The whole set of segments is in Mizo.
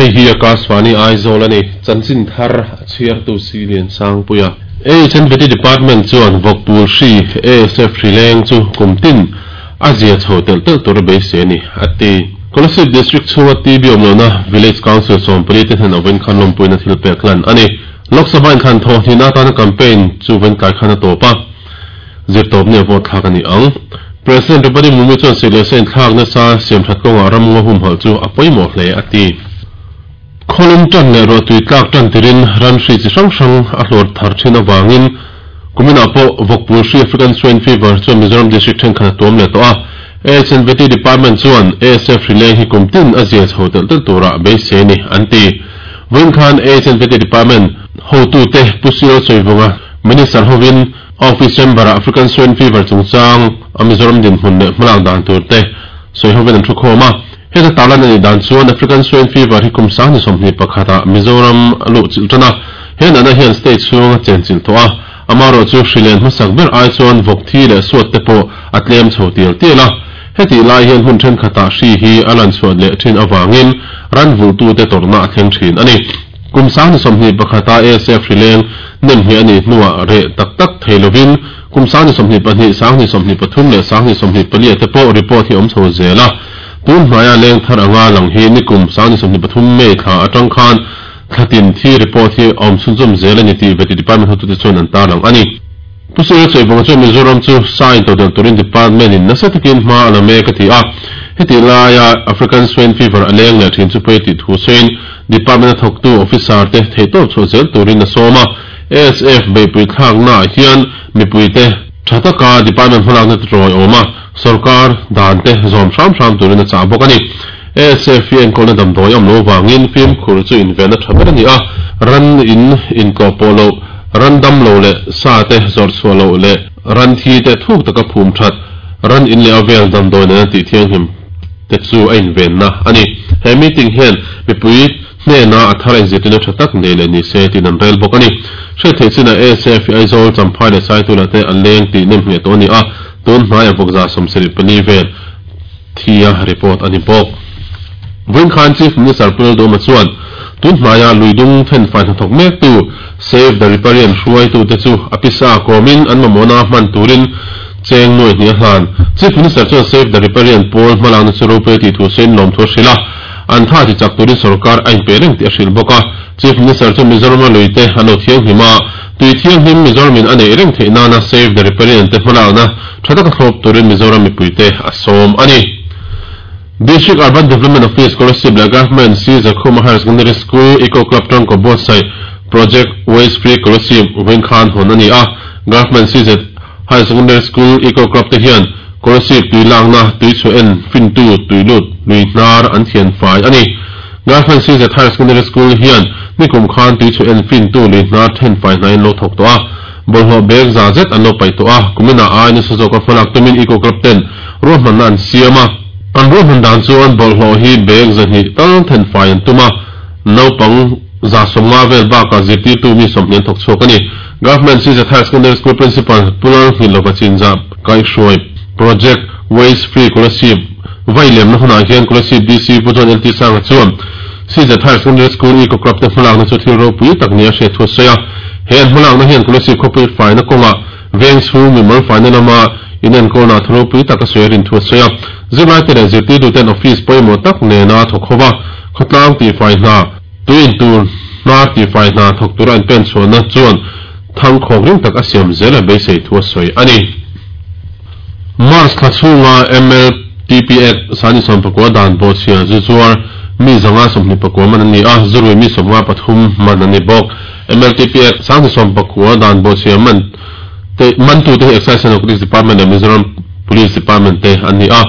Hei hi Akashvani Aizawl a ni. Chanchin thar a chhiartu si Liansangpuia. AHNVT Department chuan vawkpul hri ASF hri leng chu kum tin a zia chho telh telh tur a beisei a ni, a ti. Kolasib District chhunga TB awm lohna Village Council 14 te hnen awin khan lawmpuina thil pek hlan a ni. Lok Sabha inthlan thawh hnihna atana campaign chu vain tlai khan a tawp a, zirtawp ni a vote thlak a ni ang. President Draupadi Murmu chuan sih leh sa inthlak nasa siamthat kawngah ram ngaw humhalh chu a pawimawh hle a ti. Khawlum tan leh ruahtui tlak tan tirin ran hri chi hrang hrang a hlawr thar thin avangin kuminah pawh vawkpul hri African Swine Fever chuan Mizoram District thenkhat a tuam leh tawh a. AHNVT Department chuan ASF hri leng hi kum tin a zia chho telh telh turah beisei a ni an ti. Vawiin khan AHNVT Department hotute Pu Cyril Sawivunga Minister hovin Office Chamber-ah African Swine Fever chungchang a Mizoram dinhmun leh hmalak dan tur te sawi hovin an thu khawm a. Heta tarlan a nih dan chuan African Swine Fever hi kum 2021 ah Mizoram a luh chilh tan a, he natna hian state chhung a chen chilh tawh a, amaherawh chu hri len hmasak ber ai chuan vawk thi leh suat te pawh a tlem chho tial tial a. Hetih lai hian hmun thenkhatah hri hi a lan chhuat leh thin avangin ran vulhtute tawrhna a thleng thin a ni. Kum 2021 a ASF hri leng nem hmeh a nih hnuah reh tak tak thei lovin kum 2022, 2023 leh 2024 ah te pawh report hi awm chho zel a. Tun hnaia leng thar anga lang hi nikum 2023 May thla atang khan thlatin thi report hi a awm chhunzawm zel a ni tih Vety Department hotute chuan an tarlang a ni. Pu Sir Chawivawnga chuan Mizoram chu sa intodelh turin Department in nasa takin hma a la mek a ti a. Hetih laia African Swine Fever a leng leh thin chu pawi tih thu sawiin Department a thawktu officer te theihtawp chhuah zel turin a sawm a. ASF beihpui thlaknaah hian mipuite tha taka Department hmalakna te tawi awm a, sorkar dan te zawm hram hram turin a chah bawk a ni. ASF hi enkawlna damdawi awm lo vangin fimkhur chu invenna tha ber a ni a, ran in intlawh pawh loh, ran dam lo leh sa te zawrh chhuah loh leh ran thi te thuk taka phum that, ran in leh a vel damdawi nena tih thianghlim te chu a invenna a ni. He meeting hian mipui hnena a thar inzirtirna tha tak nei leh ni se tiin an rel bawk a ni. Hriat theih chinah ASF hi Aizawl, Champhai leh Saitulah te an leng tih nem ngheh tawh a ni a, tun hnaia vawkza 74 vel thi a report a ni bawk. Vawiin khan Chief Minister Pu Lalduhoma chuan tun hnaia luidung thenfai hnathawk mektu Save the Riparian hruaitute chu a pisa kawmin an mamawhna hman turin cheng nuai hnih a hlan. Chief Minister chuan Save the Riparian pawl hmalakna chu ropui a tih thu sawiin lawmthu a hrilh a, an tha ti chak turin sorkar a inpe reng tih a hrilh bawk a. Chief Minister chuan Mizorama luite an lo thianghlim a, tui thianghlim Mizoramin a neih reng theih nana Save the Riparian te hmalakna tha taka thlawp turin Mizoram mipuite a sawm a ni. District Urban Development Office Kolasib leh Government C Zakhuma Higher Secondary School Eco Club tangkaw buatsaih Project Waste Free Kolasib vawiin khan hawn a ni a. Government CZ Higher Secondary School Eco Club te hian Kolasib tui lakna tui chhuah en fintu tui lut lui hnar an thian fai a ni. Government CZ Higher Secondary School hian nikum khan tui chhuah en fintu lui hnar then fai hnaiin lo thawk tawh a. Bawlhhlawh bag za zet an lo paih tawh a, kuminah ai nasa zawka hmalak tumin Eco Club ten ruahmanna an siam a. An ruahman dan chuan bawlhhlawh hi bag 200 tal then fai an tum a, naupang 150 vel bakah zirtirtu mi 20 an thawk chhuak a ni. Government CZ Higher Secondary School Principal Pu Lalnghilova Chinzah kaihhruai Project Waste Free Kolasib vai lemna hunah hian Kolasib DC Pu John LT Sanga chuan CZ Higher Secondary School Eco Club te hmalakna chu thil ropui tak nia hriat thu a sawi a. He an hmalakna hian Kolasib khawpui faina kawngah veng chhung mimal faina lama inenkawlna thu ropui tak a sawi a rin thu a sawi a. Zirlaite leh zirtirtuten office pawimawh tak nena thawk ho va, khawtlang tihfai hna, tui intur hnar tihfai hna thawk tura an pen chhuahna chuan thangkhawk ring tak a siam zel a beisei thu a sawi a ni. March thla chhunga MLTP Act 2019 dan bawhchhia zu zuar mi 529 man an ni a, zurui mi 53 man an ni bawk. MLTP Act 2019 dan bawhchhia man te mantute hi Excise and Narcotics Department leh Mizoram Police Department te an ni a.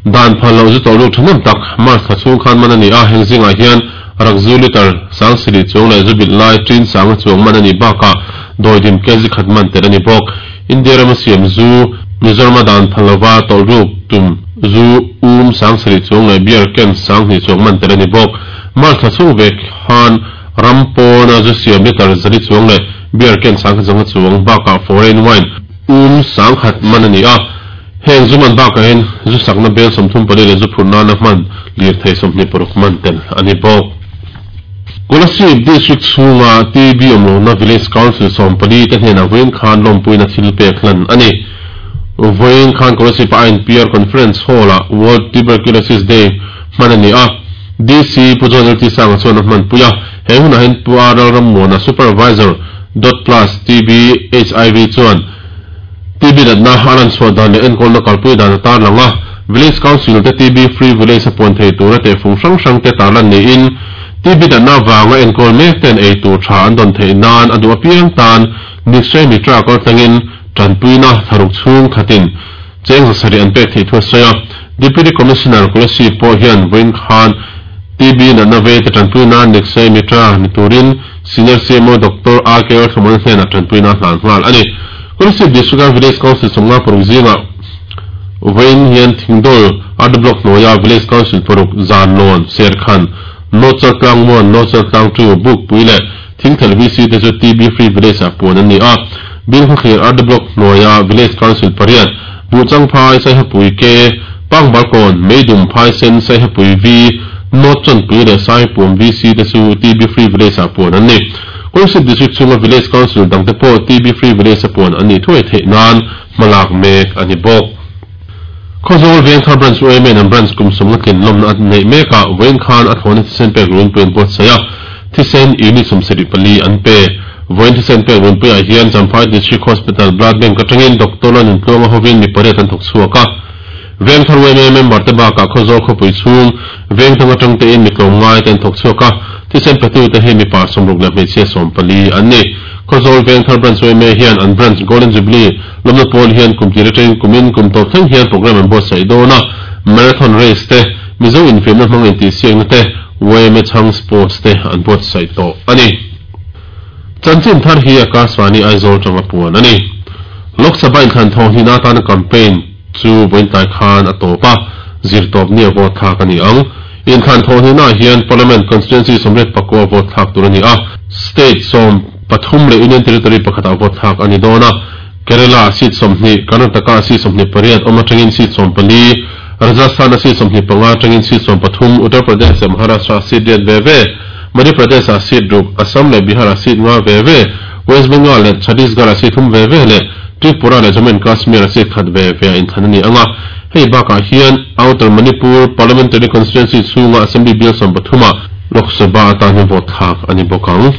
Dan phal loh zu tawlh ruk thahnem tak March thla chhung khan man a ni a, heng zingah hian rakzu litre 70,000 chuang leh zu bilh lai tin sanga chuang man a nih bakah dawidim kg khat man tel a ni bawk. India rama siam zu, Mizorama dan phal lova tawlh ruk tum zu 70,000 chuang leh beer can 2,000 chuang man tel a ni bawk. March thla chhung vek khan ram pawna zu siam litre 400 chuang leh beer can 100 zanga chuang bakah foreign wine 100,000 man a ni a. Heng zu man bakah hian zu sakna bel 34 leh zu phurh nana hman lirthei 26 man tel a ni bawk. Kolasib District chhunga TB awm lohna Village Council 14 te hnenah vawiin khan lawmpuina thil pek hlan a ni. Vawiin khan Kolasib a INPR Conference Hall-ah World Tuberculosis Day hman a ni a, DC Pu John LT Sanga chuan a hmanpui a. He hunah hian Pu R Lalrammuana, Supervisor, Dot Plus TB HIV chuan TB natna a lan chhuah dan leh enkawlna kalpui dan a tarlang a, Village Council te TB Free Village a puan thei tura tehfung hrang hrang te tarlan niin TB natna avanga enkawl mek ten ei tur tha an dawn theih nan a duh apiang tan Nikshay Mitra kaltlangin tanpuina thlaruk chhung khatin cheng 700 an pek theih thu a sawi a. Deputy Commissioner Kolasib pawh hian vawiin khan TB natna vei te tanpui nan Nikshay Mitra ni turin Senior CMO Doctor RK Lalthlamuana hnenah tanpuina a hlan nghal a ni. Kolasib District-a Village Council 56 zingah vawiin hian Thingdawl RD Block hnuaia Village Council paruk Zanlawn, Serkhan, North Chaltlang 1, North Chaltlang 2, Bukpui leh Thingthel VC te chu TB Free Village-ah puan an ni a. Bilkhawthlir RD Block hnuaia Village Council pariat, Buhchangphai, Saihapui K, Pangbalkawn, Meidum, Phaisen, Saihapui V, North Chawnpui leh Saipuam VC te chu TB Free Village-ah puan an ni. Kolasib District chhunga Village Council dangte pawh TB Free Village-a puan an nih thuai theih nan hmalak mek a ni bawk. Khawzawl Vengthar Branch UMA in an Branch kum 50 tlin lawmna a neih mek a, vawiin khan a thlawhna thisen pek runpui an buatsaih a, thisen unit 74 an pe. Vawiin thisen pek runpuiah hian Champhai District Hospital Blood Bank atangin Doctor Lalnuntluanga hovin mi pariat an thawk chhuak a. Vengthar UMA member te bakah Khawzawl khawpui chhung vengthang atang tein mi tlawmngai te an thawk chhuak a, thisen petute hi mipa 60 leh hmeichhia 14 an ni. Khawzawl Vengthar Branch UMA hian an Branch Golden Jubilee lawmna pawl hian kum tir atangin kumin kum tawp thleng hian program an buatsaih dawn a, marathon race te, Mizo infiamna hmang intihsiakna te, YMA chhang sports te an buatsaih tawh a ni. Chanchin thar hi Akashvani Aizawl tanga puan a ni. Lok Sabha inthlan thawng hlihna atana campaign chu vawiintlai khan a tawp a, zirtawp ni a vote thlak a ni ang. Inthlan thawh hlihnaah hian Parliament Constituency 89 a vote thlak tur a ni a, State 13 leh Union Territory pakhatah vote thlak a ni dawn a, Kerala-ah seat 20, Karnataka-ah seat 28 awm atangin seat 14, Rajasthan-a seat 25 atangin seat 13, Uttar Pradesh leh Maharashtra-ah seat riat ve ve, Madhya Pradesh-ah seat ruk, Assam leh Bihar-ah seat nga ve ve, West Bengal leh Chhattisgarh-ah seat thum ve ve leh Tripura leh Jammu and Kashmir-ah seat khat ve ve a inthlan a ni ang a. Hei bakah hian Outer Manipur Parliamentary Constituency chhunga Assembly bial 13-ah Lok Sabha atan hian vote thlak a ni bawk ang.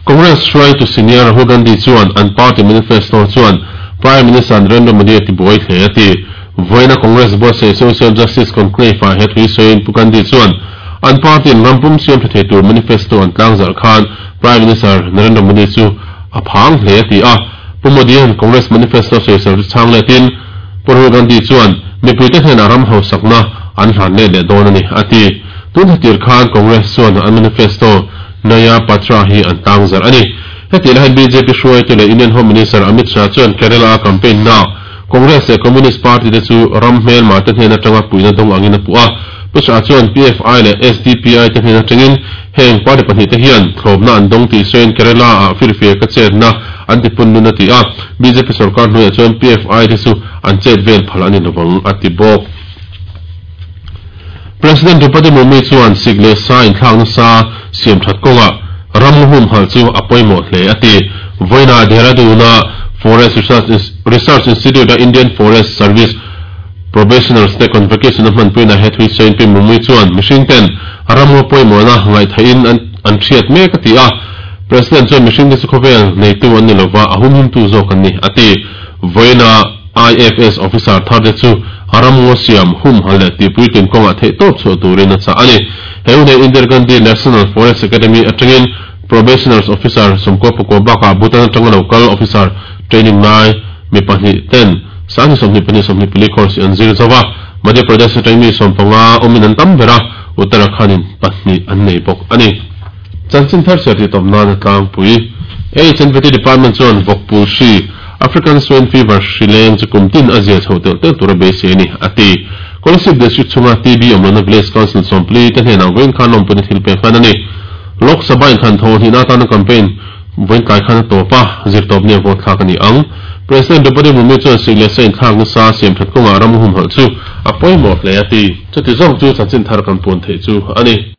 Congress hruaitu senior Rahul Gandhi chuan an party manifesto chuan Prime Minister Narendra Modi a tibuai hle a ti. Vawiina Congress buatsaih Social Justice Conclave-ah he thu sawiin Pu Gandhi chuan an party-in ram pum siam tha thei tur manifesto an tlangzarh khan Prime Minister Narendra Modi chu a phang hle a ti a. Pu Modi-a'n Congress manifesto sawisel chu chhang letin Pu Rahul Gandhi chuan mipuite hnenah ram hausakna an hlan let leh dawn a ni a ti. Tun thla khan Congress chuan an manifesto Naya Patra hi an tlangzarh a ni. Heti lai hian BJP hruaitu leh Union Home Minister Amit Shah chuan Kerala-a campaign na Congress leh Communist Party te chu ram hmelma te hnen atanga puihna dawng angin a puh a. Pu Shah chuan PFI leh SDPI te hnen atangin heng party pahnih te hian thlawpna an dawng tih sawiin Kerala-ah firfir ka chetna an ti pun nun a ti a. BJP sorkar hnuaiah chuan PFI te chu an chet vel phal a ni lovang a ti bawk. President Draupadi Murmu chuan sik leh sa inthlak nasa siam that kawngah ram humhalh chu a pawimawh hle a ti. Vawiinah Dehradun-a Forest Research Institute-a Indian Forest Service Probationers te Convocation a hmanpuina he thui sawiin Pi Murmu chuan mihring ten ram ngaw pawimawhna ngaihtheihin an hriat mek a ti a. President chuan mihring te chu khawvel neitu an ni lova, a humhimtu zawk an ni a ti. Vawiinah IFS officer thar te chu ram ngaw siam humhalh leh tihpuitlin kawngah theih tawp chhuah turin a chah a ni. He hun hi Indira Gandhi National Forest Academy atangin Probationers Officer 94 bakah Bhutan atanga lo kal officer training lai mi pahnih ten 2024 24 course hi an zir zo a. Madhya Pradesh atangin mi 15 awmin an tam ber a, Uttarakhand in pahnih an nei bawk a ni. Chanchin thar chhiar tih tawp nan a tlangpui. HNVT Department chuan vawkpul hri, African Swine Fever, hri leng chu kum tin a zia chho telh telh tur a beisei a ni, a ti. Kolasib District chhunga TB awm lohna Village Council 14 te hnenah vawiin khan lawmpuina thil pek hlan a ni. Lok Sabha inthlan tho hnihna atana campaign vawiin tlai khan a tawp a, zirtawp nia vote thlak a ni ang. President Draupadi Murmu chuan sik leh sa inthlak nasa siam that kawngah ram humhalh chu a pawimawh hle a ti. Chuti zawng chu chanchin thar kan puan theih chu a ni.